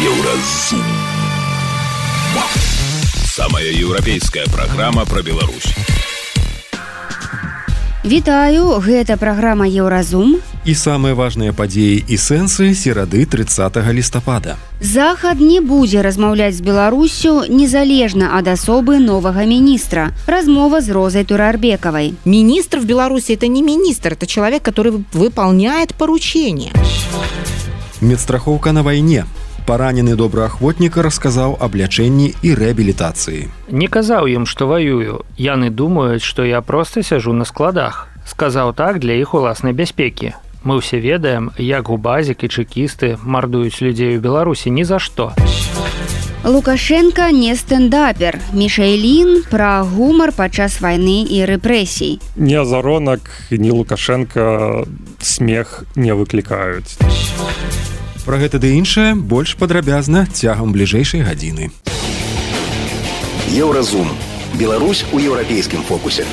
Еўразум. Самая еўрапейская праграма пра Беларусь. Вітаю, гэта праграма Еўразум. І самыя важныя падзеі і сэнсы серады 30 лістапада. Захад не будзе размаўляць з Беларуссю незалежна ад асобы новага міністра. Размова з Розай Турарбекавай. Министр в Беларуси – это не министр, это человек, который выполняет поручения. Медстрахоўка на вайне. Паранены добраахвотнік расказаў аб лячэнні і рэабілітацыі. Не казаў ім, што ваюю. Яны думаюць, што я проста сяжу на складах. Сказаў так для іх уласнай бяспекі. Мы ўсе ведаем, як губазік і чэкісты мардуюць людзей у Беларусі ні за што. Лукашенко не стендапер. Мішэлін пра гумар падчас вайны і рэпрэсій. Ні Азаронак, ні Лукашенко смех не выклікаюць. Пра гэта ды іншае больш падрабязна цягам бліжэйшай гадзіны. Еўразум. Беларусь у еўрапейскім фокусе.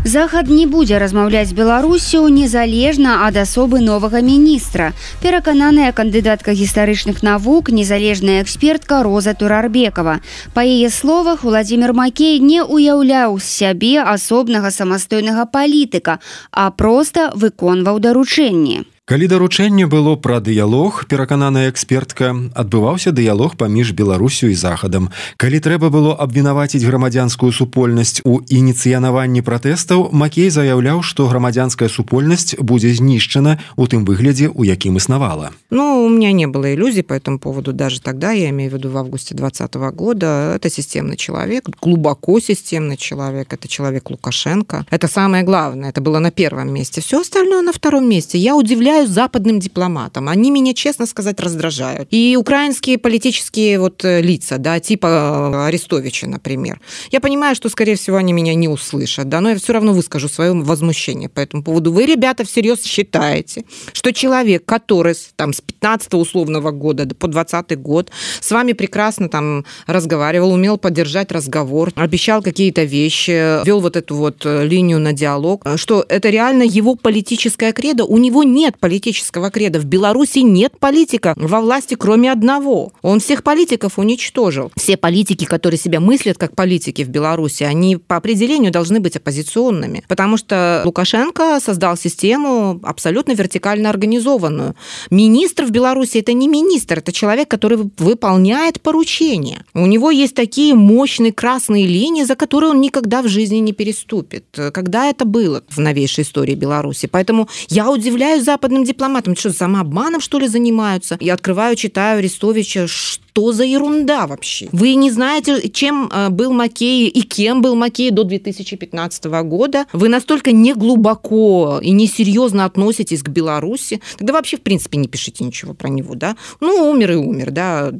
Захад не будзе размаўляць з Беларуссю незалежна ад асобы новага міністра. Перакананая кандыдатка гістарычных навук, незалежная экспертка Роза Турарбекава. Па яе словах, Уладзімір Макей не ўяўляў з сябе асобнага самастойнага палітыка, а проста выконваў даручэнні. Калі даручэнне было пра дыялог, перакананая экспертка, адбываўся дыялог паміж Беларусю і Захадам. Калі трэба было абвінаваціць грамадзянскую супольнасць у ініцыянаванні пратэстаў, Макей заяўляў, што грамадзянская супольнасць будзе знішчана ў тым выглядзе, у якім існавала. Ну, у меня не было иллюзий по этому поводу даже тогда, я имею в виду в августе 2020 года. Это системный человек, глубоко системный человек, это человек Лукашенко. Это самое главное, это было на первом месте. Все остальное на втором месте. Я удивляюсь западным дипломатам. Они меня, честно сказать, раздражают. И украинские политические лица, да, типа Арестовича, например. Я понимаю, что, скорее всего, они меня не услышат, да, но я все равно выскажу свое возмущение по этому поводу. Вы, ребята, всерьез считаете, что человек, который там с 15 условного года по 20 год с вами прекрасно там разговаривал, умел поддержать разговор, обещал какие-то вещи, вел эту линию на диалог, что это реально его политическая кредо? У него нет политического кредо. В Беларуси нет политика во власти, кроме одного. Он всех политиков уничтожил. Все политики, которые себя мыслят как политики в Беларуси, они по определению должны быть оппозиционными, потому что Лукашенко создал систему абсолютно вертикально организованную. Министр в Беларуси – это не министр, это человек, который выполняет поручения. У него есть такие мощные красные линии, за которые он никогда в жизни не переступит. Когда это было в новейшей истории Беларуси? Поэтому я удивляюсь западным дипломатам. Что, самообманом, что ли, занимаются? Я открываю, читаю Арестовича. Что за ерунда вообще? Вы не знаете, чем был Макей и кем был Макей до 2015 года? Вы настолько неглубоко и несерьезно относитесь к Беларуси? Тогда вообще, в принципе, не пишите ничего про него, да? Ну, умер и умер, да,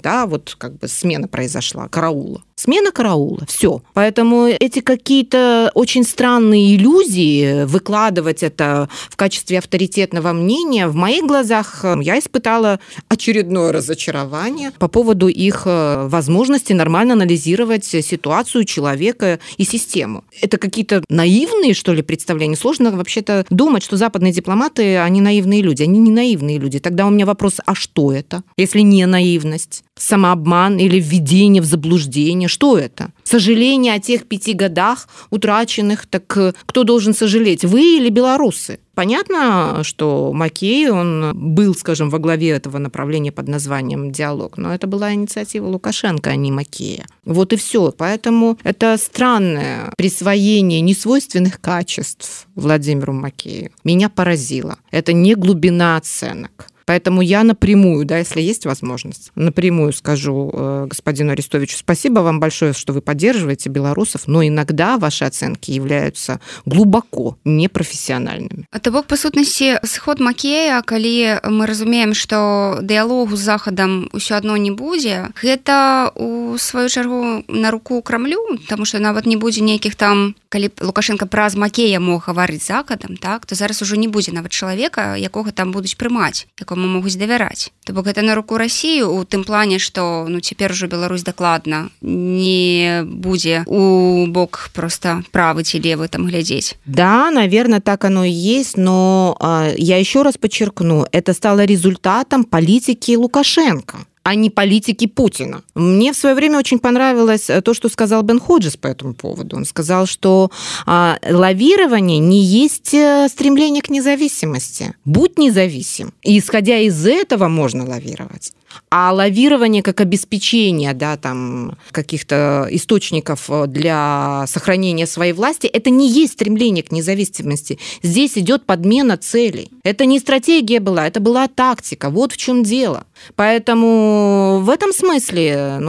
смена произошла, караула. Смена караула, все. Поэтому эти какие-то очень странные иллюзии, выкладывать это в качестве авторитетного мнения, в моих глазах я испытала очередное разочарование по поводу их возможности нормально анализировать ситуацию человека и систему. Это какие-то наивные, что ли, представления? Сложно вообще-то думать, что западные дипломаты, они наивные люди. Они не наивные люди. Тогда у меня вопрос, а что это, если не наивность? Самообман или введение в заблуждение? Что это? Сожаление о тех 5 годах утраченных? Так кто должен сожалеть, вы или белорусы? Понятно, что Макей, он был, скажем, во главе этого направления под названием «Диалог», но это была инициатива Лукашенко, а не Макея. Вот и все. Поэтому это странное присвоение несвойственных качеств Владимиру Макею меня поразило. Это не глубина оценок. Поэтому я напрямую, да, если есть возможность, напрямую скажу господину Арестовичу: спасибо вам большое, что вы поддерживаете белорусов, но иногда ваши оценки являются глубоко непрофессиональными. То бок, па сутнасці, сход Макея, калі мы разумеем, што дыялогу з Захадам ўсё адно не будзе, гэта у сваю чаргу на руку Крамлю, таму што нават не будзе нейкіх там, калі Лукашенко праз Макея мог гаварыць з Захадам, так, то зараз ужо не будзе нават чалавека, якога там будуць прымаць, якому каму могуць давяраць. То бок гэта на руку Расіі у тым плане, што цяпер ужо Беларусь дакладна не будзе у бок просто правы ці левы там глядзець. Да, наверное, так оно и есть, но я еще раз подчеркну, это стало результатом политики Лукашенко, а не политики Путина. Мне в свое время очень понравилось то, что сказал Бен Ходжес по этому поводу. Он сказал, что лавирование не есть стремление к независимости. Будь независим. И исходя из этого можно лавировать. А лавирование как обеспечение, да, там, каких-то источников для сохранения своей власти, это не есть стремление к независимости. Здесь идет подмена целей. Это не стратегия была, это была тактика. Вот в чем дело. Поэтому в этом смысле,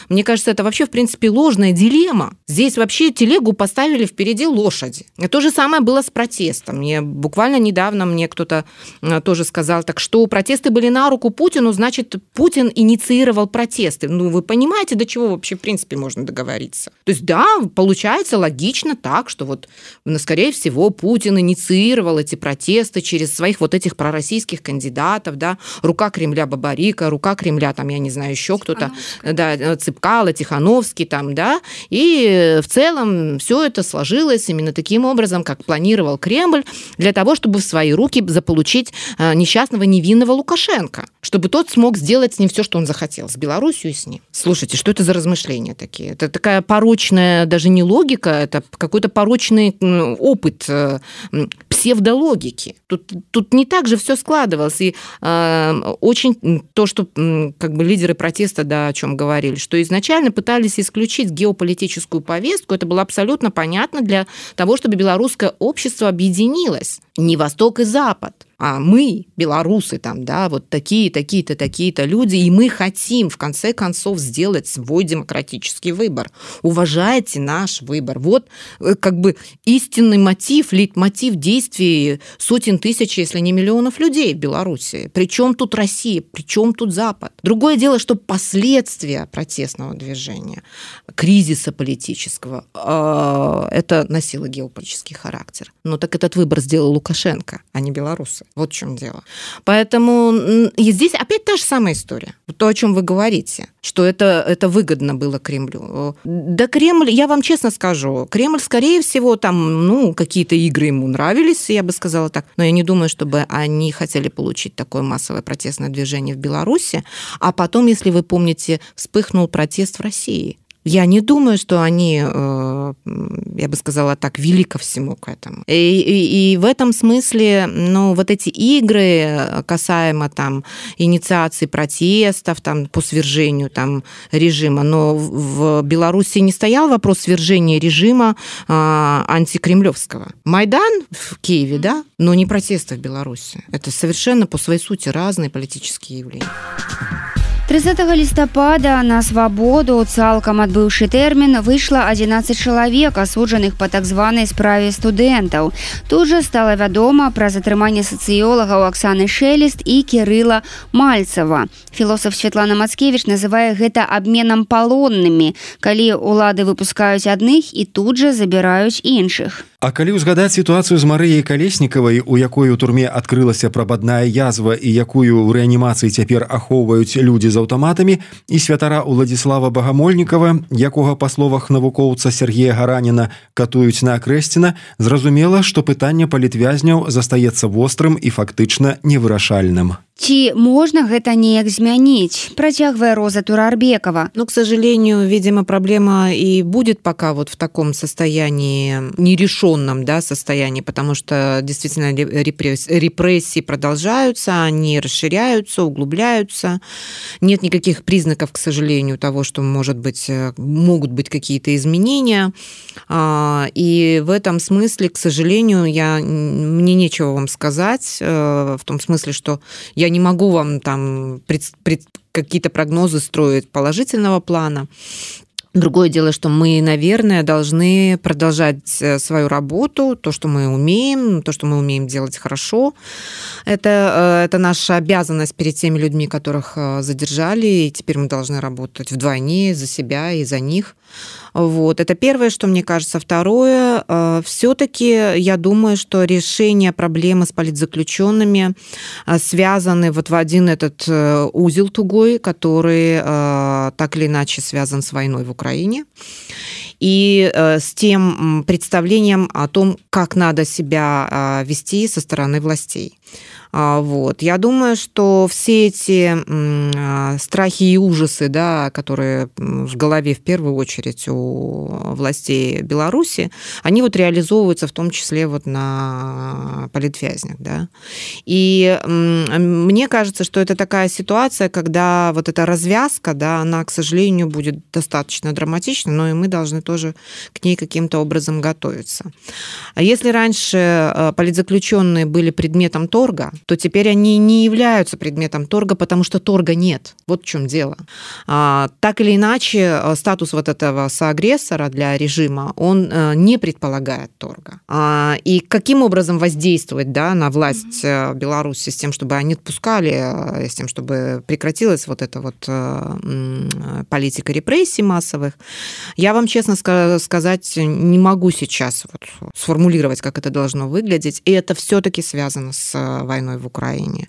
мне кажется, это вообще, в принципе, ложная дилемма. Здесь вообще телегу поставили впереди лошади. И то же самое было с протестом. Буквально недавно мне кто-то тоже сказал, так что протесты были на руку Путину, значит, Путин инициировал протесты. Вы понимаете, до чего вообще, в принципе, можно договориться? То есть, да, получается логично так, что вот, скорее всего, Путин инициировал эти протесты через своих вот этих пророссийских кандидатов, да, рука Кремля Бабарика, рука Кремля, там, я не знаю, еще кто-то, да, Цыпкало, Тихановский, там, да, и в целом все это сложилось именно таким образом, как планировал Кремль, для того, чтобы в свои руки заполучить несчастного невинного Лукашенко, чтобы тот смог сделать с ним все, что он захотел, с Белоруссией и с ним. Слушайте, что это за размышления такие? Это такая порочная, даже не логика, это какой-то порочный опыт псевдологики. Тут не так же все складывалось. И очень то, что как бы лидеры протеста, да, о чем говорили, что изначально пытались исключить геополитическую повестку, это было абсолютно понятно для того, чтобы белорусское общество объединилось. Не Восток и Запад, а мы, белорусы, там, да, вот такие-то, такие-то люди, и мы хотим, в конце концов, сделать свой демократический выбор. Уважайте наш выбор. Вот как бы истинный мотив, лейтмотив действий сотен тысяч, если не миллионов людей в Беларуси. Причем тут Россия, причем тут Запад. Другое дело, что последствия протестного движения, кризиса политического, это носило геополитический характер. Но так этот выбор сделал Лукашенко, а не белорусы. Вот в чем дело. Поэтому и здесь опять та же самая история. То, о чем вы говорите, что это выгодно было Кремлю. Да Кремль, я вам честно скажу, Кремль, скорее всего, там, какие-то игры ему нравились, я бы сказала так, но я не думаю, чтобы они хотели получить такое массовое протестное движение в Беларуси, а потом, если вы помните, вспыхнул протест в России. Я не думаю, что они, я бы сказала так, вели ко всему к этому. И в этом смысле, вот эти игры касаемо там инициации протестов там, по свержению там, режима, но в Беларуси не стоял вопрос свержения режима антикремлевского. Майдан в Киеве, да, но не протесты в Беларуси. Это совершенно по своей сути разные политические явления. 30 лістапада на свабоду, цалкам адбыўшы тэрмін, выйшла 11 чалавек, асуджаных па так званай справе студэнтаў. Тут жа стала вядома пра затрыманне сацыёлагаў Аксаны Шелест і Кірыла Мальцева. Філосаф Святлана Мацкевіч называе гэта абменам палоннымі, калі ўлады выпускаюць адных і тут жа забіраюць іншых. А калі ўзгадаць сітуацыю з Марыяй Калеснікавай, у якой у турме адкрылася прабадная язва і якую ў рэанімацыі цяпер ахоўваюць людзі з аўтаматамі, і святара Уладзіслава Багамольнікава, якога, па словах навукоўца Сергея Гараніна, катуюць на Акрэсціна, зразумела, што пытанне палітвязняў застаецца вострым і фактычна невырашальным. Ці можна гэта неяк змяніць, працягвае Роза Турарбекова. К сожалению, видимо, проблема и будет пока вот в таком состоянии, нерешенном, да, состоянии, потому что действительно репрессии продолжаются, они расширяются, углубляются. Нет никаких признаков, к сожалению, того, что могут быть какие-то изменения. И в этом смысле, к сожалению, мне нечего вам сказать, в том смысле, что я не могу вам там какие-то прогнозы строить положительного плана. Другое дело, что мы, наверное, должны продолжать свою работу, то, что мы умеем делать хорошо. Это наша обязанность перед теми людьми, которых задержали, и теперь мы должны работать вдвойне за себя и за них. Вот. Это первое, что мне кажется. Второе, все-таки я думаю, что решение проблемы с политзаключенными связаны вот в один этот узел тугой, который так или иначе связан с войной в Украине, и с тем представлением о том, как надо себя вести со стороны властей. Вот. Я думаю, что все эти страхи и ужасы, да, которые в голове в первую очередь у властей Беларуси, они вот реализовываются в том числе вот на политвязнях. Да. И мне кажется, что это такая ситуация, когда вот эта развязка, да, она, к сожалению, будет достаточно драматична, но и мы должны тоже к ней каким-то образом готовиться. А если раньше политзаключенные были предметом торга, то теперь они не являются предметом торга, потому что торга нет. Вот в чем дело. Так или иначе, статус вот этого соагрессора для режима, он не предполагает торга. И каким образом воздействовать, да, на власть Беларуси с тем, чтобы они отпускали, с тем, чтобы прекратилась вот эта вот политика репрессий массовых, я вам честно сказать не могу сейчас вот сформулировать, как это должно выглядеть. И это все-таки связано с войной в Украине.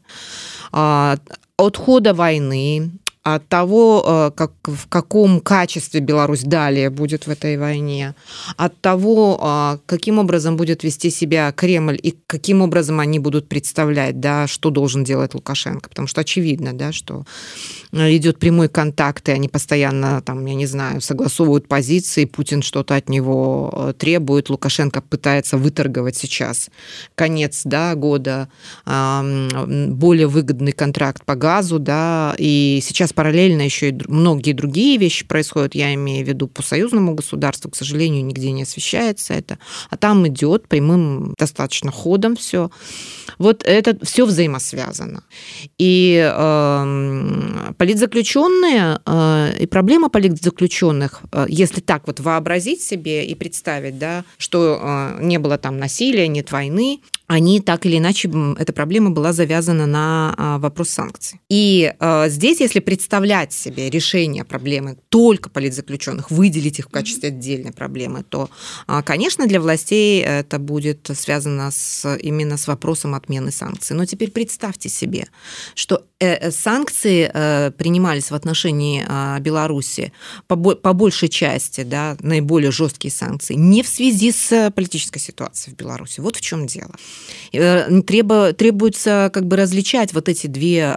От хода войны, от того, в каком качестве Беларусь далее будет в этой войне, от того, каким образом будет вести себя Кремль и каким образом они будут представлять, да, что должен делать Лукашенко. Потому что очевидно, да, что идет прямой контакт, и они постоянно, там, я не знаю, согласовывают позиции, Путин что-то от него требует, Лукашенко пытается выторговать сейчас конец, да, года, более выгодный контракт по газу, да, и сейчас параллельно еще и многие другие вещи происходят, я имею в виду по союзному государству, к сожалению, нигде не освещается это, а там идет прямым достаточно ходом все. Вот это все взаимосвязано. И политзаключенные, и проблема политзаключенных, если так вот вообразить себе и представить, да, что не было там насилия, нет войны, они так или иначе, эта проблема была завязана на вопрос санкций. И здесь, если представлять себе решение проблемы только политзаключенных, выделить их в качестве отдельной проблемы, то, конечно, для властей это будет связано именно с вопросом отмены санкций. Но теперь представьте себе, что санкции принимались в отношении Беларуси по большей части, да, наиболее жесткие санкции, не в связи с политической ситуацией в Беларуси. Вот в чем дело. Требуется как бы различать вот эти две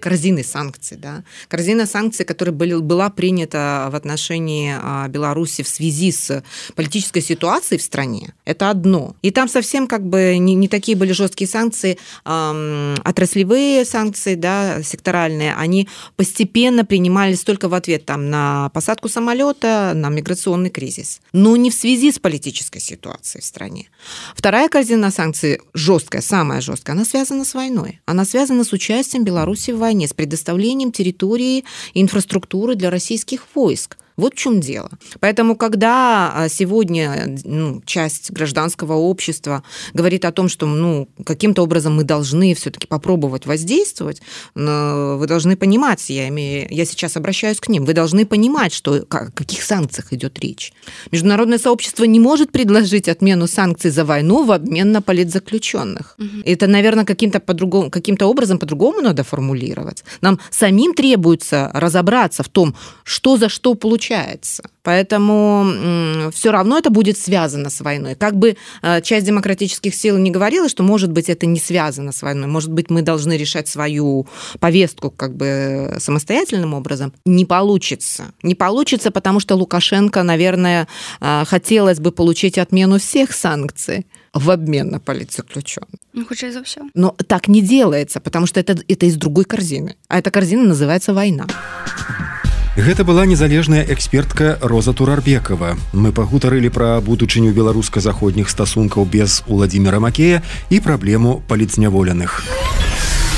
корзины санкций. Да. Корзина санкций, которая была принята в отношении Беларуси в связи с политической ситуацией в стране, это одно. И там совсем как бы не такие были жесткие санкции, отраслевые санкции, да, секторальные, они постепенно принимались только в ответ там, на посадку самолета, на миграционный кризис, но не в связи с политической ситуацией в стране. Вторая корзина санкций, жесткая, самая жесткая, она связана с войной. Она связана с участием Беларуси в войне, с предоставлением территории и инфраструктуры для российских войск. Вот в чем дело. Поэтому, когда сегодня часть гражданского общества говорит о том, что каким-то образом мы должны все-таки попробовать воздействовать, вы должны понимать, я сейчас обращаюсь к ним, вы должны понимать, что, о каких санкциях идет речь. Международное сообщество не может предложить отмену санкций за войну в обмен на политзаключенных. Это, наверное, каким-то образом по-другому надо формулировать. Нам самим требуется разобраться в том, что за что получается. Поэтому все равно это будет связано с войной. Как бы часть демократических сил не говорила, что, может быть, это не связано с войной, может быть, мы должны решать свою повестку как бы самостоятельным образом. Не получится. Не получится, потому что Лукашенко, наверное, хотелось бы получить отмену всех санкций в обмен на политзаключенных. Хутчэй за ўсё. Но так не делается, потому что это из другой корзины. А эта корзина называется «война». Гэта была незалежная экспертка Роза Турарбекова. Мы пагутарылі пра будучыню беларуска-заходніх стасункаў без Уладзіміра Макея і праблему палітзняволеных.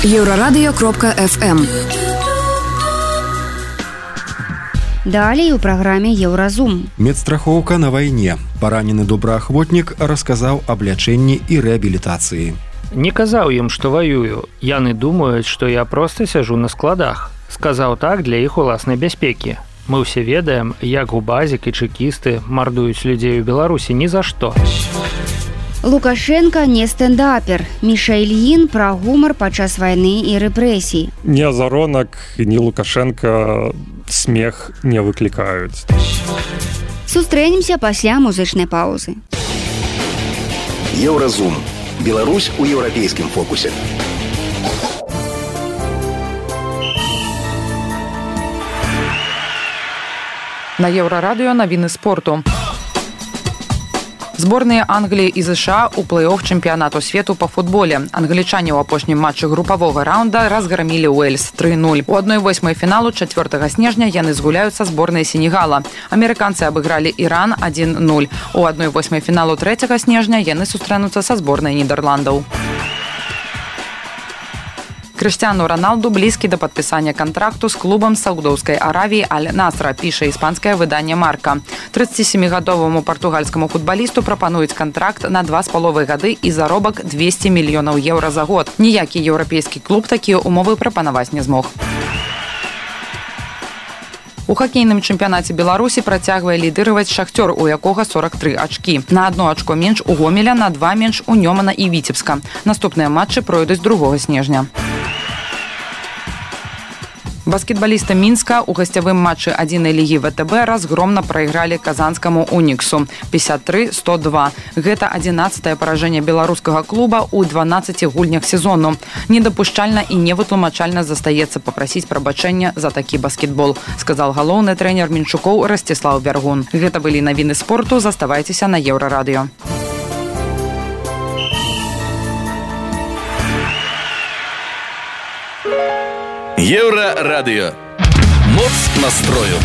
Еўрарадыё.фм Далей у праграме Еўразум. Медстрахоўка на вайне. Паранены добраахвотнік расказаў аб лячэнні і рэабілітацыі. Не казаў ім, што ваюю. Яны думаюць, што я проста сяжу на складах. Сказаў так для іх уласнай бяспекі. Мы ўсе ведаем, як губазік і чэкісты мардуюць людзей у Беларусі ні за што. Лукашенко не стендапер. Міша Ільін пра гумар падчас вайны і рэпрэсій. Ні Азаронак, ні Лукашенко смех не выклікаюць. Сустрэнемся пасля музычнай паўзы. Еўразум. Беларусь у еўрапейскім фокусе. На Еўрарадыё навіны спорту. Зборныя Англіі і ЗША ў плэй-оф чэмпіянату свету па футболе. Англічане ў апошнім матчы групавога раунда разграмілі Уэльс 3-0. У 1/8 фіналу 4 снежня яны згуляюць са зборнай Сенегала. Амерыканцы абыгралі Іран 1-0. У 1/8 фіналу 3 снежня яны сустрэнуцца са зборнай Нідерландаў. Крыштиану Роналду блізкі да падпісання кантракту з клубам Саудаўскай Аравіі Аль-Насра, піша іспанскае выданне Марка. 37-гадоваму партугальскаму футбалісту прапануюць кантракт на 2,5 гады і заробак 200 мільёнаў еўра за год. Ніякі еўрапейскі клуб такія умовы прапанаваць не змог. У хакейным чэмпіянаце Беларусі працягвае лідыраваць Шахцёр, у якога 43 ачкі. На 1 ачко менш у Гомеля, на 2 менш у Нёмана і Віцебска. Наступныя матчы пройдуць 2 снежня. Баскетбалісты Мінска ў гасцявым матчы 1 лігі ВТБ разгромна прайгралі казанскаму Уніксу 53-102. Гэта 11-е паражэнне беларускага клуба ў 12 гульнях сезону. Недапушчальна і невытлумачальна застаецца папрасіць прабачэння за такі баскетбол, сказал галоўны трэнер Мінчукоў Растислав Бяргун. Гэта былі навіны спорту, заставайцеся на Еўрарадыё. Еўрарадыё. Моц настрою.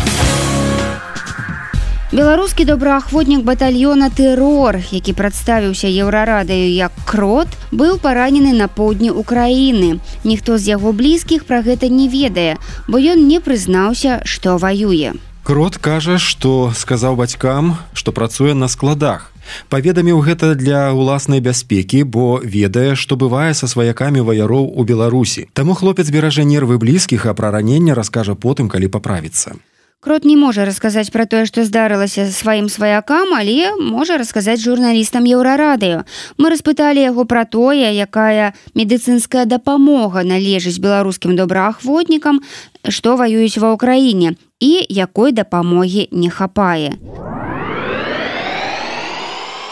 Беларускі добраахвотнік батальёна «Тэрор», які прадставіўся Еўрарадыё як Крот, быў паранены на поўдні Украіны. Ніхто з яго блізкіх пра гэта не ведае, бо ён не прызнаўся, што ваюе. Крот кажа, што сказаў бацькам, што працуе на складах. Паведаміў гэта для ўласнай бяспекі, бо ведае, што бывае са сваякамі ваяроў у Беларусі. Таму хлопец беражэ нервы блізкіх, а пра раненне раскажа потым, калі паправіцца. Крот не можа расказаць пра тое, што здарылася сваім сваякам, але можа расказаць журналістам Еўрарадыё. Мы распыталі яго пра тое, якая медыцынская дапамога належыць беларускім добраахвотнікам, што ваююць ва ўкраіне, і якой дапамогі не хапае.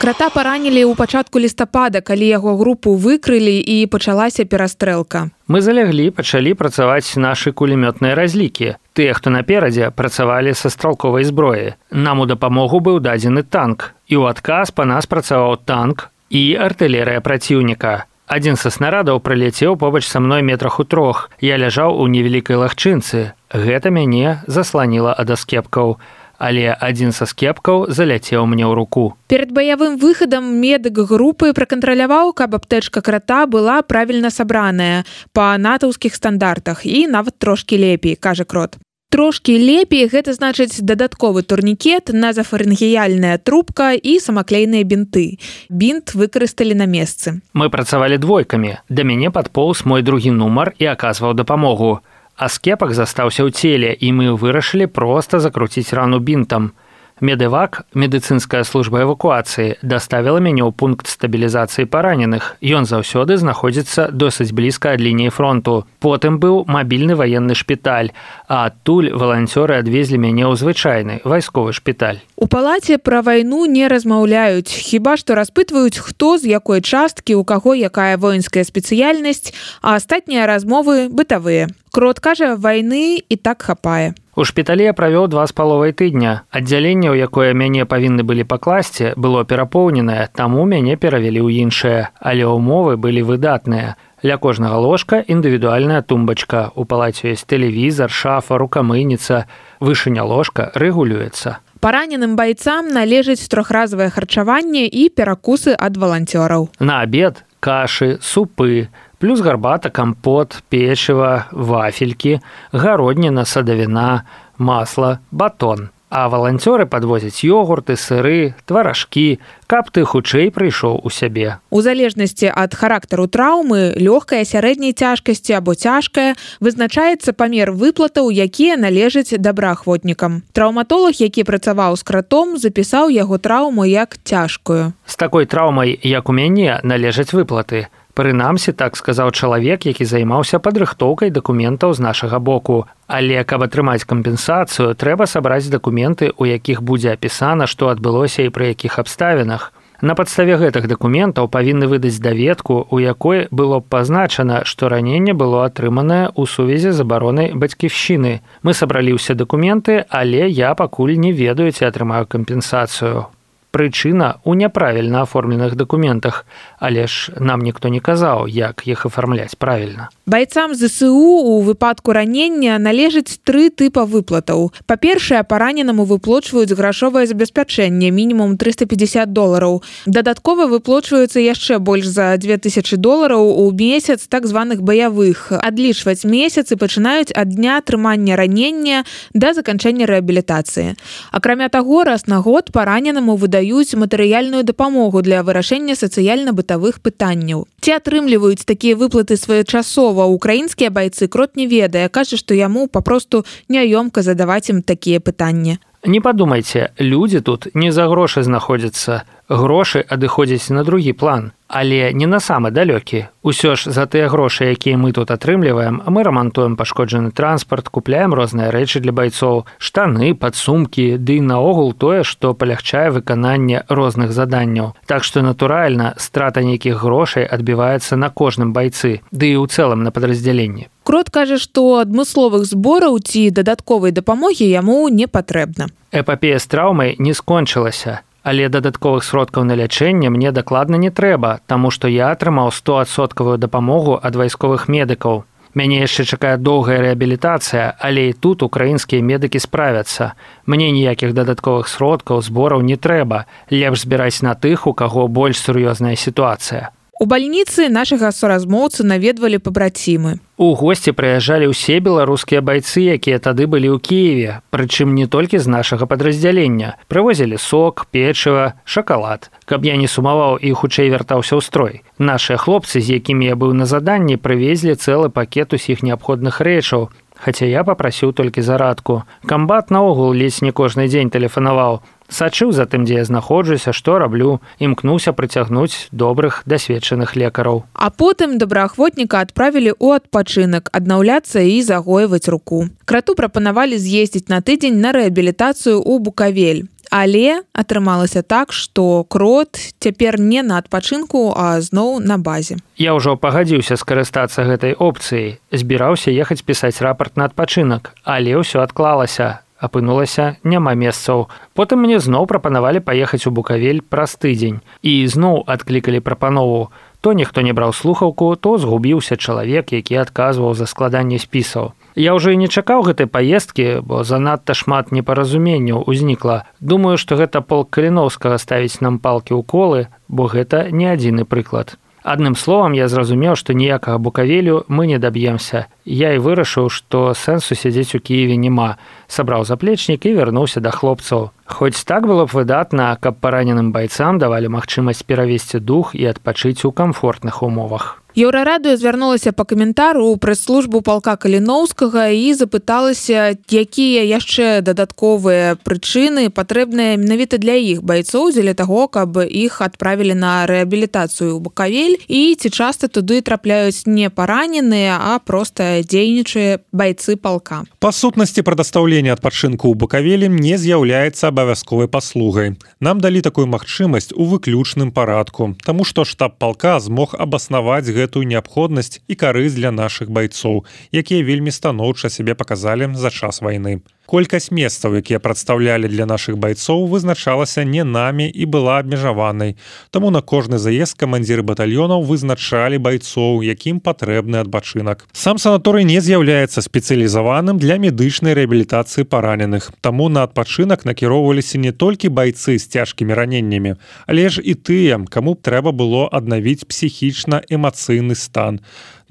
Крата паранілі ў пачатку лістапада, калі яго групу выкрылі і пачалася перастрэлка. Мы заляглі, пачалі працаваць нашы кулемётныя разлікі. Тыя, хто наперадзе, працавалі са стралковай зброі. Нам у дапамогу быў дадзены танк. І ў адказ па нас працаваў танк і артылерыя праціўніка. Адзін са снарадаў прыляцеў побач са мной метрах у 3. Я ляжаў у невялікай лагчынцы. Гэта мяне засланіла ад аскепкаў. Але адзін са скепкаў заляцеў мне ў руку. Перад баявым выхадам медык групы пракантраляваў, каб аптэчка крата была правільна сабраная па натаўскіх стандартах і нават трошкі лепей, кажа Крот. Трошкі лепей гэта значыць дадатковы турнікет, назафарынгеяльная трубка і самаклейныя бінты. Бінт выкарысталі на месцы. Мы працавалі двойкамі. Да мяне падполз мой другі нумар і аказваў дапамогу. А скепак застаўся ў целе, і мы вырашылі проста закруціць рану бінтам. Медэвак, медыцынская служба эвакуацыі, даставіла мяне ў пункт стабілізацыі параненых. Ён заўсёды знаходзіцца досыць блізка ад лініі фронту. Потым быў мабільны ваенны шпіталь, а адтуль валанцёры адвезлі мяне ў звычайны вайсковы шпіталь. У палаце пра вайну не размаўляюць, хіба што распытваюць, хто з якой часткі, у каго якая воінская спецыяльнасць, а астатнія размовы бытавыя. Крот кажа, вайны і так хапае. У шпіталі я правёў 2,5 тыдня. Аддзяленне, у якое мяне павінны былі пакласці, было перапоўненае, таму мяне перавялі ў іншае, але ўмовы былі выдатныя. Ля кожнага ложка індывідуальная тумбачка. У палаце ёсць тэлевізар, шафа, рукамыйніца. Вышыня ложка рэгулюецца. Параненым байцам належыць трохразовае харчаванне і перакусы ад валанцёраў. На абед кашы, супы, плюс гарбата, кампот, печыва, вафелькі, гародніна, садавіна, масла, батон. А валанцёры падвозяць ёгурты, сыры, тваражкі, каб ты хутчэй прыйшоў у сябе. У залежнасці ад характару траўмы, лёгкая, сярэдняй цяжкасці або цяжкая, вызначаецца памер выплатаў, якія належаць добраахвотнікам. Траўматолог, які працаваў з кратом, запісаў яго траўму як цяжкую. З такой траўмай, як у мяне, належаць выплаты. Прынамсі, так сказаў чалавек, які займаўся падрыхтоўкай дакументаў з нашага боку. Але каб атрымаць кампенсацыю, трэба сабраць дакументы, у якіх будзе апісана, што адбылося і пры якіх абставінах. На падставе гэтых дакументаў павінны выдаць даведку, у якой было б пазначана, што раненне было атрыманае ў сувязі з абаронай бацькіўшчыны. Мы сабралі ўсе дакументы, але я пакуль не ведаю, ці атрымаю кампенсацыю. Прычына ў няправільна аформленых дакументах, але ж нам ніхто не казаў, як іх афармляць правільна. Байцам ЗСУ у выпадку ранення належыць 3 тыпа выплатаў. Па-першае, параненаму выплочваюць грашовае забеспячэнне, мінімум $350. Дадаткова выплочваюцца яшчэ больш за $2000 у месяц так званых баявых. Адлічваць месяцы пачынаюць ад дня атрымання ранення да заканчэння рэабілітацыі. Акрамя таго, раз на год параненаму выдаюць матэрыяльную дапамогу для вырашэння сацыяльна-бытавых пытанняў. Ці атрымліваюць такія выплаты своечасова украінскія байцы, крот не ведае, кажа, што яму папросту няёмка задаваць ім такія пытанні. Не падумайце, людзі тут не за грошы знаходзяцца. Грошы адыходзяць на другі план, але не на самы далёкі. Усё ж за тыя грошы, якія мы тут атрымліваем, мы рамантуем пашкоджаны транспарт, купляем розныя рэчы для байцоў, штаны, падсумкі, ды і наогул тое, што палягчае выкананне розных заданняў. Так што, натуральна, страта нейкіх грошай адбіваецца на кожным байцы, ды і ў цэлым на падраздзяленні. Крот кажа, што адмысловых збораў ці дадатковай дапамогі яму не патрэбна. Эпапея з траўмай не скончылася, але дадатковых сродкаў на лячэнне мне дакладна не трэба, таму што я атрымаў 100% дапамогу ад вайсковых медыкаў. Мяне яшчэ чакае доўгая рэабілітацыя, але і тут украінскія медыкі справяцца. Мне ніякіх дадатковых сродкаў, збораў не трэба. Лепш збіраць на тых, у каго больш сур'ёзная сітуацыя. У бальніцы нашага суразмоўцы наведвалі пабрацімы. У госці прыязджалі ўсе беларускія байцы, якія тады былі ў Кіеве, прычым не толькі з нашага падраздзялення. Прывозілі сок, печыва, шакалад. Каб я не сумаваў і хутчэй вяртаўся ў строй. Нашыя хлопцы, з якімі я быў на заданні, прывезлі цэлы пакет усіх неабходных рэчаў, хаця я папрасіў толькі зарадку. Камбат наогул ледзь не кожны дзень тэлефанаваў. Сачыў за тым, дзе я знаходжуся, што раблю, імкнуўся прыцягнуць добрых, дасведчаных лекараў. А потым добраахвотніка адправілі ў адпачынак, аднаўляцца і загойваць руку. Крату прапанавалі з'ездзіць на тыдзень на рэабілітацыю ў Букавель. Але атрымалася так, што крот цяпер не на адпачынку, а зноў на базе. Я ўжо пагадзіўся скарыстацца гэтай опцыяй. Збіраўся ехаць пісаць рапарт на адпачынак, але ўсё адклалася. Апынулася, няма месцаў. Потым мне зноў прапанавалі паехаць у Букавель праз тыдзень. І зноў адклікалі прапанову. То ніхто не браў слухаўку, то згубіўся чалавек, які адказваў за складанне спісаў. Я ўжо і не чакаў гэтай паездкі, бо занадта шмат непаразуменняў узнікла. Думаю, што гэта полк Каліноўскага ставіць нам палкі ў колы, бо гэта не адзіны прыклад. Адным словам, я зразумеў, што ніякага Букавелю мы не даб'емся. Я і вырашыў, што сэнсу сядзець у Кіеве няма. Сабраў заплечнік і вярнуўся да хлопцаў. Хоць так было б выдатна, каб параненым байцам давалі магчымасць перавесці дух і адпачыць у камфортных умовах. Еўрарадыё звярнулася па каментару ў прэс-службу палка Каліноўскага і запыталася, якія яшчэ дадатковыя прычыны патрэбныя менавіта для іх байцоў дзеля таго, каб іх адправілі на рэабілітацыю ў Букавель і ці часта туды трапляюць не параненыя, а проста дзейнічыя байцы палка. Па сутнасці прадастаўлення адпачынку ў Букавелі не з'яўляецца абавязковай паслугай. Нам далі такую магчымасць у выключным парадку, таму што штаб палка змог абаснаваць гэтую неабходнасць і карысць для нашых байцоў, якія вельмі станоўча сябе паказалі за час вайны. Колькасць месцаў, якія прадстаўлялі для нашых байцоў, вызначалася не намі і была абмежаванай. Таму на кожны заезд камандзіры батальёнаў вызначалі байцоў, якім патрэбны адпачынак. Сам санаторый не з'яўляецца спецыялізаваным для медычнай рэабілітацыі параненых. Таму на адпачынак накіроўваліся не толькі байцы з цяжкімі раненнямі, але ж і тыя, каму б трэба было аднавіць псіхічна-эмацыйны стан.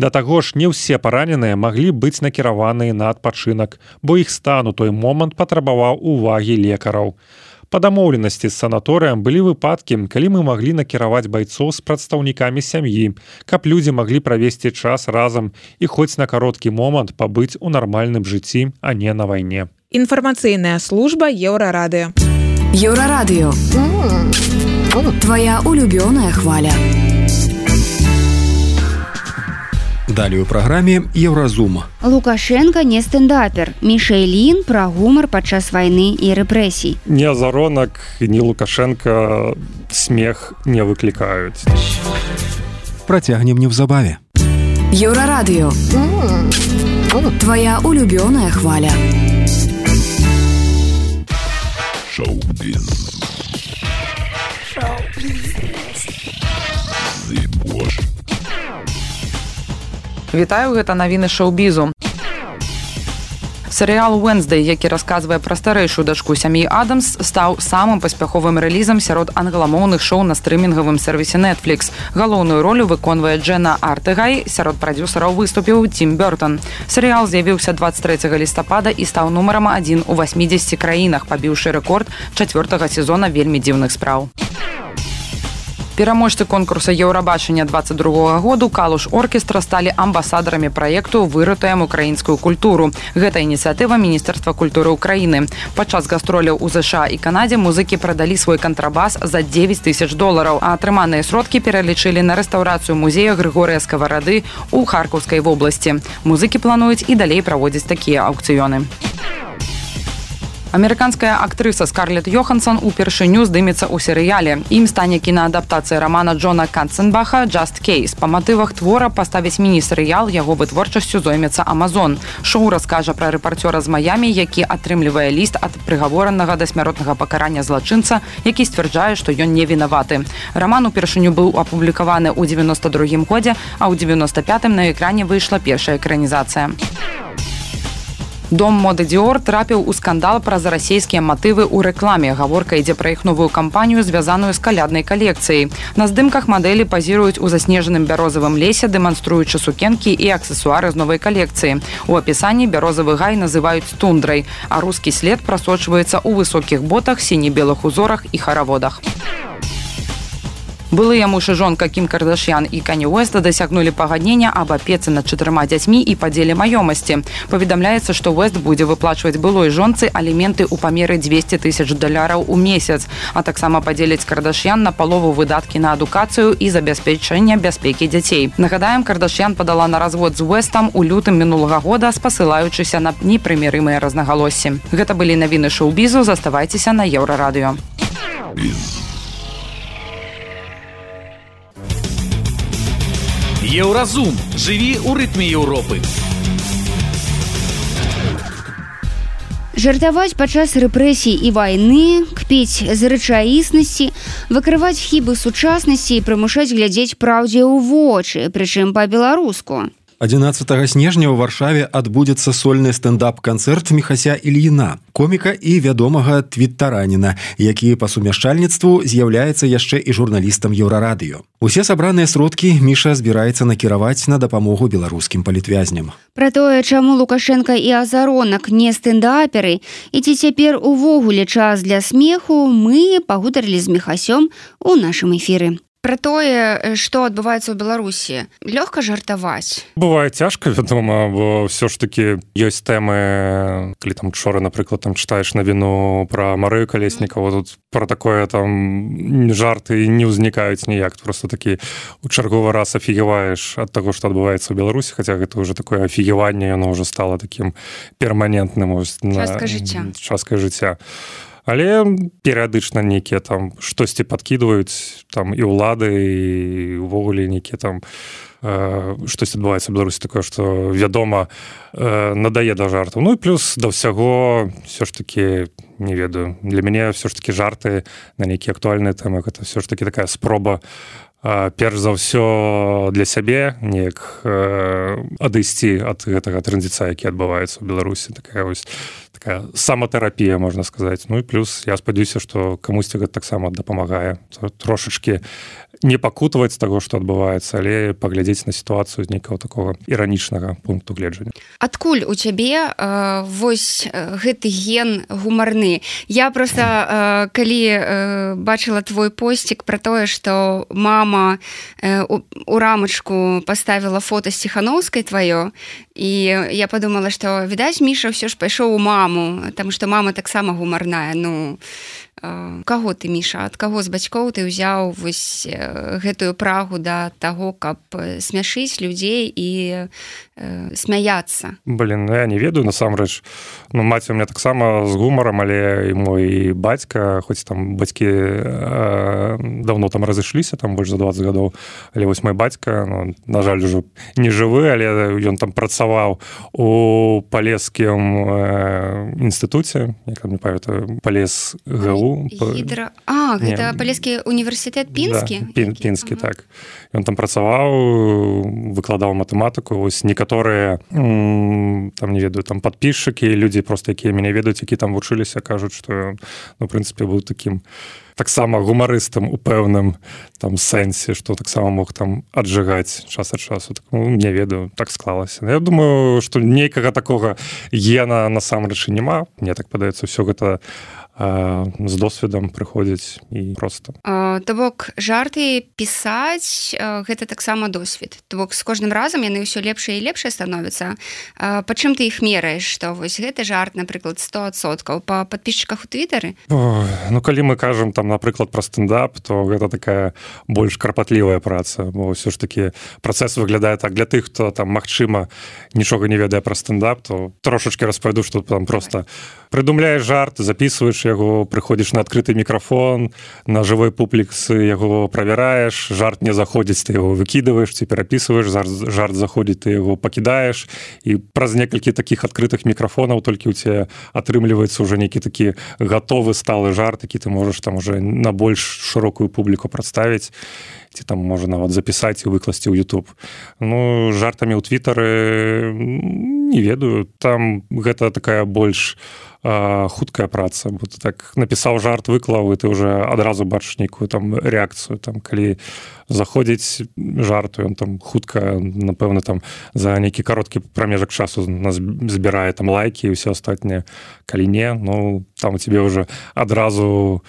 Да таго ж не ўсе параненыя маглі быць накіраваныя на адпачынак, бо іх стан у той момант патрабаваў увагі лекараў. Па дамоўленасці з санаторыям былі выпадкі, калі мы маглі накіраваць байцоў з прадстаўнікамі сям'і, каб людзі маглі правесці час разам і хоць на кароткі момант пабыць у нармальным жыцці, а не на вайне. Інфармацыйная служба Еўрарадыё. Еўрарадыё. Твоя улюбёная хваля. Далее у праграме Еўразум. Лукашенко не стендапер. Мішэлін пра гумар падчас вайны і рэпрэсій. Ні Азаронак, ні Лукашенко смех не выклікаюць. Працягнем неўзабаве. Еўрарадыё. Твоя улюбёная хваля. Шоу-біз. Вітаю, гэта навіны шоу-бізу. Серыял «Уэнсдэй», які расказвае пра старэйшую дачку сям'і Адамс, стаў самым паспяховым рэлізам сярод англамоўных шоу на стрымінгавым сервісе Netflix. Галоўную ролю выконвае Джэна Артэгай, сярод прадзюсараў выступіў Тім Бёртон. Серыял з'явіўся 23 лістапада і стаў нумарам 1 у 80 краінах, пабіўшы рэкорд 4-го сезона «Вельмі дзіўных спраў». Пераможцы конкурса Еўрабачання 22 году Калуш оркестра сталі амбасадарамі праекту «Выратуем украінскую культуру». Гэта ініцыятыва Міністэрства культуры Украіны. Падчас гастроляў у ЗША і Канадзе музыкі прадалі свой кантрабас за $9,000, а атрыманыя сродкі пералічылі на рэстаўрацыю музея Грыгорыя Скаварады ў Харкаўскай вобласці. Музыкі плануюць і далей праводзіць такія аўкцыёны. Амерыканская актрыса Скарлетт Йоханссон упершыню здымецца ў серыяле. Ім стане кінаадаптацыя рамана Джона Канценбаха «Just Case». Па матывах твора паставіць міні-серыял, яго вытворчасцю зоймецца Amazon. Шоу раскажа пра рэпарцёра з Маямі, які атрымлівае ліст ад прыгаворанага да смяротнага пакарання злачынца, які сцвярджае, што ён не вінаваты. Раман упершыню быў апублікаваны ў 92 годзе, а ў 95-м на экране выйшла першая экранізацыя. Дом моды Dior трапіў у скандал праз расійскія матывы ў рэкламе. Гаворка ідзе пра іх новую кампанію, звязаную з каляднай калекцыяй. На здымках мадэлі пазіруюць у заснежаным бярозавым лесе, дэманструючы сукенкі і аксесуары з новай калекцыі. У апісанні бярозавы гай называюць тундрай, а рускі след прасочваецца ў высокіх ботах, сіне-белых узорах і хараводах. Былыя муж і жонка Кім Кардашьян і Кані Уэста дасягнулі пагаднення аб апецы над 4 дзяцьмі і падзеле маёмасці. Паведамляецца, што Уэст будзе выплачваць былой жонцы аліменты ў памеры $200,000 у месяц, а таксама падзеляць Кардашьян на палову выдаткі на адукацыю і забяспечэнне бяспекі дзяцей. Нагадаем, Кардашьян падала на развод з Уэстам у лютым мінулага года, спасылаючыся на непрымірымыя рознагалоссі. Гэта былі навіны шоу-бізу, заставайцеся на Еўрарадыё. Еўразум. Жыві ў рытме Еўропы. Жартаваць падчас рэпрэсій і вайны, кпіць з рэчаіснасці, выкрываць хібы сучаснасці і прымушаць глядзець праўдзе ў вочы, прычым па-беларуску. 11 снежня ў Варшаве адбудзецца сольны стендап-канцэрт Міхася Ільіна, коміка і вядомага твіттараніна, які па сумяшчальніцтву з'яўляецца яшчэ і журналістам Еўрарадыё. Усе сабраныя сродкі Міша збіраецца накіраваць на дапамогу беларускім палітвязням. Пра тое, чаму Лукашенко і Азаронак не стэндаперы, і ці цяпер увогуле час для смеху, мы пагутарылі з Міхасём у нашым эфіры. Пра тое, што адбываецца ў Беларусі, лёгка жартаваць. Бывае цяжка, вядома, бо ўсё ж такі ёсць тэмы, калі там учора, напрыклад, там чытаеш навіну пра Марыю Калеснікаву, тут пра такое там жарты не ўзнікаюць ніяк, просто такі у чарговы раз афігеваеш ад таго, што адбываецца ў Беларусі, хаця гэта ўжо такое афігеванне, яно ўжо стала такім перманентным. Часткай жыцця. Але перыядычна нейкія там штосьці падкідваюць там і ўлады, і ўвогуле нейкія там штосьці адбываецца ў Беларусі такое, што вядома надае да жартаў. Ну і плюс да ўсяго ўсё ж такі, не ведаю, для мяне ўсё ж такі жарты на нейкія актуальныя тэмы, гэта ўсё ж такі такая спроба перш за ўсё для сябе неяк адысці ад гэтага трэндзіца, які адбываецца ў Беларусі. Такая такая саматэрапія, можна сказаць. Ну і плюс я спадзяюся, што камусьці гэта таксама дапамагае трошачкі не пакутаваць з таго, што адбываецца, але паглядзець на сітуацыю з нейкага такога іранічнага пункту гледжання. Адкуль у цябе вось гэты ген гумарны? Я просто калі бачыла твой посцік пра тое, што мама у рамачку паставіла фота з Ціхановскай тваё, і я подумала, што відаць, Міша ўсё ж пайшоў у маму, таму што мама таксама гумарная. Ну, каго ты, Міша, ад каго з бацькоў ты ўзяў вось гэтую прагу да таго, каб смяшыць людзей і смяяцца? Блин, ну я не ведаю, насамрэч. Ну, маці у меня таксама з гумарам, але і мой бацька, хоць там бацькі давно там разышліся, там больш за 20 гадоў, але вось мой бацька, ну, на жаль, ужо не жывы, але ён там працаваў у Палескім інстытуце, як не памятаю, Палес ГУ. Гэта Палескі універсітэт Пінскі? Да, Пінскі, так. Ён там працаваў, выкладаў матэматыку. Вось некаторыя, там, не ведаю, там падпісчыкі, людзі проста, якія мяне ведаюць, які там вучыліся, кажуць, што, ну, в прынцыпе, быў такім таксама гумарыстам у пэўным там сэнсе, што таксама мог там аджыгаць час ад часу. Так, ну, не ведаю, так склалася. Я думаю, што нейкага такога гена насамрэч няма. Мне так падаецца, ўсё гэта з досведам прыходзіць і проста. То бок, жарты пісаць, гэта таксама досвед. То бок, з кожным разам яны ўсё лепшае і лепшае становяцца. Па чым ты іх мераеш? Што вось гэты жарт, напрыклад, 100%? Па падпісчыках у Твітары? Ну, калі мы кажам, там, напрыклад, пра стендап, то гэта такая больш карпатлівая праца, бо ўсё ж такі працэс выглядае так. Для тых, хто там, магчыма, нічога не ведае пра стендап, то трошачкі распавяду, што там проста прыдумляеш жарт, записываеш яго, прыходзіш на адкрыты мікрафон, на жывой публіксы яго правяраеш, жарт не заходзіць, ты яго выкідываеш, ці перапісваеш, жарт заходзіць, ты яго пакідаеш, і праз некалькі такіх адкрытых мікрафонаў толькі ў цябе атрымліваецца ўжо нейкі такі гатовы сталы жарт, які ты можаш там уже на больш шырокую публіку прадставіць, ці там можа нават запісаць і выкласці ў YouTube. Ну, жартамі ў Твітары не ведаю, там гэта такая больш хуткая праца, бо ты так напісаў жарт, выклаў, і ты уже адразу бачыш нейкую там рэакцыю, там, калі заходзіць жарту, ён там хутка, напэўна, там за нейкі кароткі прамежак часу збірае там лайкі і ўсё астатняе. Калі не, ну, там у цябе уже адразу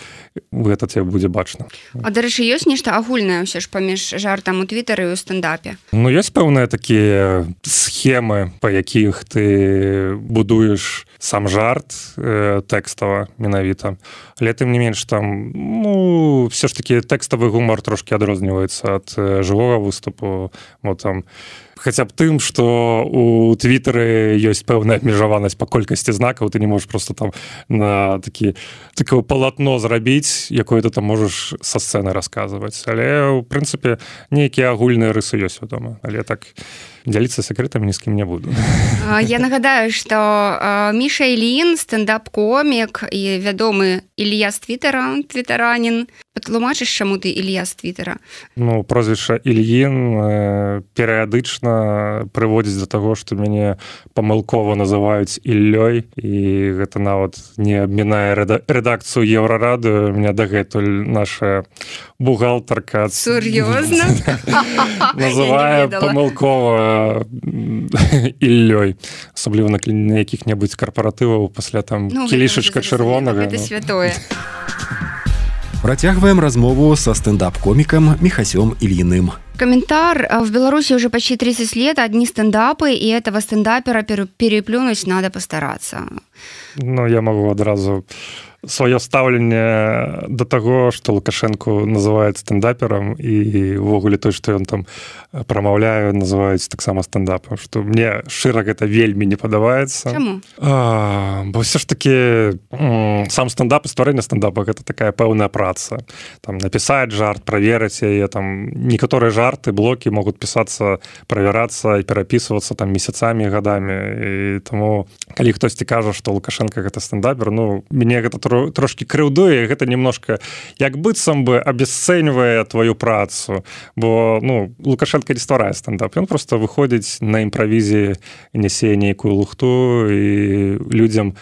гэта тебе будзе бачна. А, дарэчы, ёсць нешта агульнае ўсё ж паміж жартам у Твітары і ў стендапе? Ну, ёсць пэўныя такія схемы, па якіх ты будуеш сам жарт тэкстава менавіта. Але тым не менш там, ну, все ж таки тэкставы гумар трошки адрозніваецца ад жывога выступу. Вот там хаця б тым, што у Твітары ёсць пэўная абмежаванасць па колькасці знакаў, ты не можаш просто там на такое палатно зрабіць, якое ты там можаш са сцэны расказваць. Але, ў прынцыпе, нейкія агульныя рысы ёсць, вядома. Але так дзяліцца сакрэтамі ні з кім не буду. Я нагадаю, што Міша Ільін, стендап-комік і вядомы Ілья з Твітара, твітаранін. Патлумачыш, чаму ты Ілья з Твітара? Ну, прозвішча Ільін перыядычна прыводзіць да таго, што мяне памылкова называюць Іллёй, і гэта нават не абмінае рэдакцыю Еўрарадыё. Меня дагэтуль наша бухгалтарка сур'ёзна называе памылкова Іллёй, асабліва на якіх-небудзь карпаратываў пасля там кілішачка чырвонага. Гэта святое. Працягваем размову со стендап-комиком Михасем Ильиным. Комментар. В Беларуси уже почти 30 лет одни стендапы, и этого стендапера переплюнуть надо постараться. Ну, я могу одразу сваё стаўленне да таго, што Лукашенко называюць стендаперам, і ўвогуле той, што ён там прамаўляе, называюць таксама стендапам, што мне шчыра гэта вельмі не падабаецца. Чаму? Бо ўсё ж такі сам стендап і стварэнне стендапа гэта такая пэўная праца. Там напісаць жарт, праверыць яе, там некаторыя жарты, блокі могуць пісацца, правярацца і перапісвацца там месяцамі, гадамі. І таму, калі хтосьці кажа, што Лукашенко гэта стендапер, ну, мяне гэта трошки крыўдуе, гэта немножко як быццам бы абясцэньвае твою працу, бо, ну, Лукашенко не стварае стендап, ён просто выходзіць на імправізіі, нясе нейкую лухту і людзям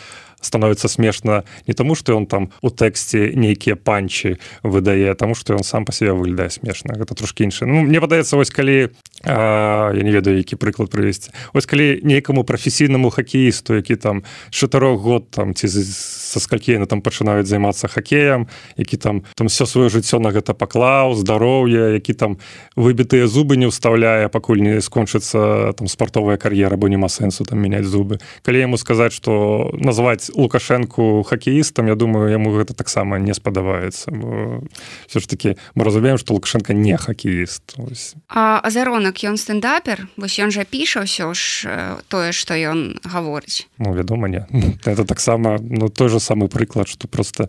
становіцца смешна не таму што ён там у тэксце нейкія панчы выдае, таму што ён сам па себе выглядае смешна. Гэта трошкі іншае. Ну, мне падаецца, вось калі я не ведаю, які прыклад прывесці. Вось калі нейкаму прафесійнаму хакеісту, які там 4 год там ці са скалькі яны там пачынаюць займацца хакеем, які там все сваё жыццё на гэта паклаў, здароўе, які там выбітыя зубы не ўстаўляе, пакуль не скончыцца там спартовая кар'ера, бо няма сэнсу там мяняць зубы. Калі яму сказаць, што назваць Лукашэнку хакеістам, я думаю, яму гэта таксама не спадабаецца. Бо все ж таки мы разумеем, што Лукашенко не хакеіст. А Азаронак, ён стендапер? Вось ён жа піша ўсё ж тое, што ён гаворыць. Ну, вядома, не. Это таксама, ну, той же самы прыклад, што просто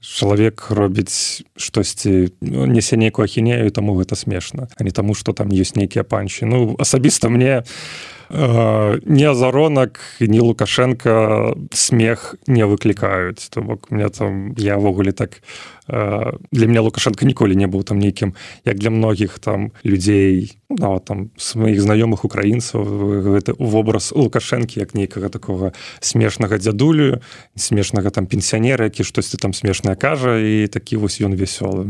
чалавек робіць штосьці, несе нейкую ахінею, таму гэта смешна, а не таму, што там ёсць нейкія панчы. Ну, асабіста мне ні Азаронак, ні Лукашенко смех не выклікаюць. То бок мне там, я ввогуле так, для мяне Лукашенко ніколі не быў там нейкім, як для многіх там людзей, нават там сваіх знаёмых украінцаў, гэта вобраз Лукашэнкі як нейкага такога смешнага дзядулю, смешнага там пенсіянера, які штосьці там смешнае кажа, і такі вось ён весёлы.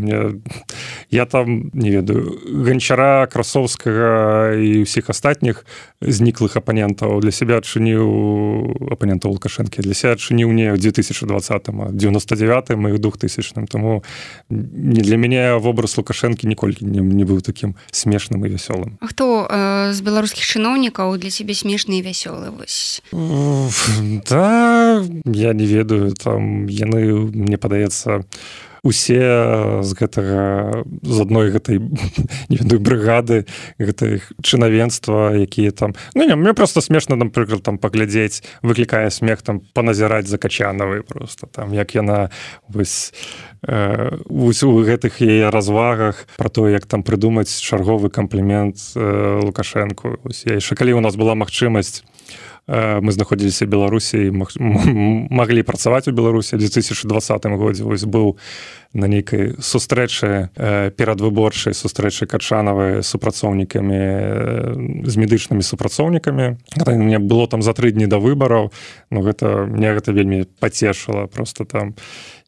Я там, не ведаю, Ганчара, Красовскага і ўсіх астатніх зніклых апанентаў для сябе адчыніў, апанентаў Лукашэнкі, для сябе адчыніў не ў 2020-м, а 99-м і 2000-м. Тому для мяне вобраз Лукашэнкі ніколі не быў такім смешным і вясёлым. А хто з беларускіх чыноўнікаў для цябе смешны і вясёлы? Да, я не ведаю, там яны, мне падаецца, усе з гэтага, з адной гэтай, не ведаю, брыгады, гэтай чынавенства, якія там... Ну, не, мне просто смешна, напрыклад, там паглядзець, выклікае смех, там, паназіраць за Качанавай просто, там, як яна вось у гэтых яе развагах пра тое, як там прыдумаць чарговы камплімент Лукашэнку. Я яшчэ, калі у нас была магчымасць, мы знаходзіліся ў Беларусі і маглі працаваць у Беларусі ў 2020 годзе. Вось быў на нейкай сустрэчы, перадвыборчай сустрэчы Качанавай з супрацоўнікамі, з медычнымі супрацоўнікамі. Мне было там за 3 дні да выбараў, но мне гэта вельмі пацешыла. Просто там,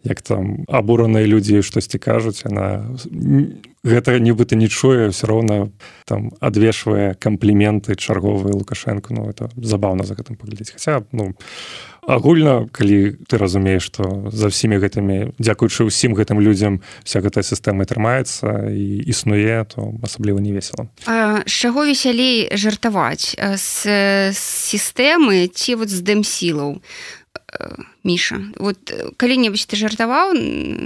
як там абураныя людзі штосьці кажуць, яна гэта нібыта не чуе, все роўна там адвешвае кампліменты чарговыя Лукашэнку. Ну, это забаўна за гэтым паглядзець. Хаця, ну, агульна, калі ты разумееш, што за всімі гэтымі, дзякуючы ўсім гэтым людзям вся гэтая сістэма трымаецца і існуе, то асабліва не весела. А з чаго весялей жартаваць? З сістэмы ці вот з дэмсілаў? Міша, вот калі-небудзь ты жартаваў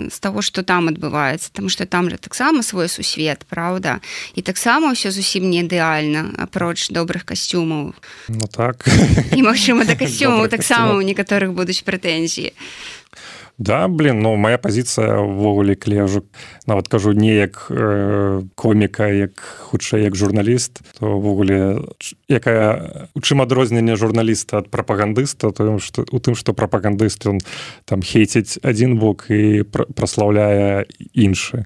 з таго, што там адбываецца, таму што там жа таксама свой сусвет, праўда? І таксама ўсё зусім не ідэальна, апроч добрых касцюмаў. Ну так. І, магчыма, да касцюмаў таксама ў некаторых будуць прэтэнзіі. Да, ну, моя пазіцыя ўвогуле, калі я ўжо нават кажу не як коміка, як хутчэй як журналіст, то ўвогуле у чым адрозненне журналіста ад прапагандыста, то у тым, што прапагандыст ён там хейціць адзін бок і праслаўляе іншы.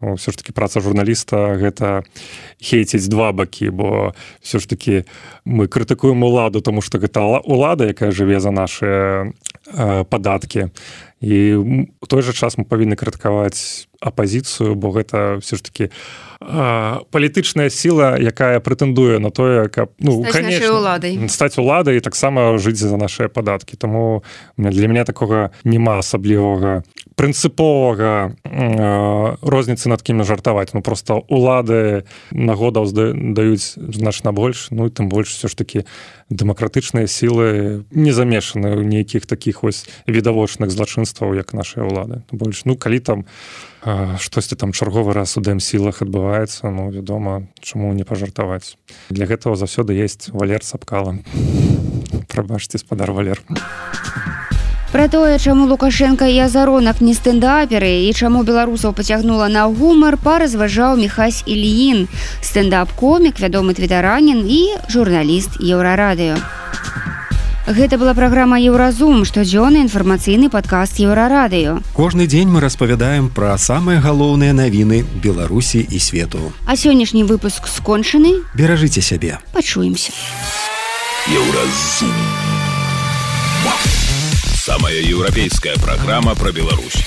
Все ж таки праца журналіста гэта хейціць два бакі, бо все ж таки мы крытыкуем уладу, тому што гэта улада, якая жыве за наши падаткі. І у той жа час мы павінны крытыкаваць апазіцыю, бо гэта все ж таки палітычная сіла, якая прэтэндуе на тое, каб стаць уладай і таксама жыць за нашыя падаткі. Таму для мяне такога няма асаблівага прынцыповага розніцы, над кім жартаваць. Ну просто улады нагодаў даюць значна больш, ну і тым больш все ж таки дэмакратычныя сілы не замешаны ў нейкіх такіх вось відавочных злачынстваў, як нашыя улады. Больш, ну калі там штосьці там чарговы раз у дэмсілах адбываецца, ну вядома, чаму не пажартаваць. Для гэтага заўсёды есть Валер Сапкала. Прабачце, спадар Валер. Пра тое, чаму Лукашенко і Азаронак не стэндаперы і чаму беларусаў пацягнула на гумар, паразважаў Міхась Ільін, стэндап-комік, вядомы твітаранін і журналіст Еўрарадыё. Гэта была праграма «Еўразум», штодзённы інфармацыйны падкаст Еўрарадыё. Кожны дзень мы распавядаем пра самыя галоўныя навіны Беларусі і свету. А сённяшні выпуск скончаны. Беражыце сябе. Пачуемся. Еўразум. Самая европейская программа про Беларусь.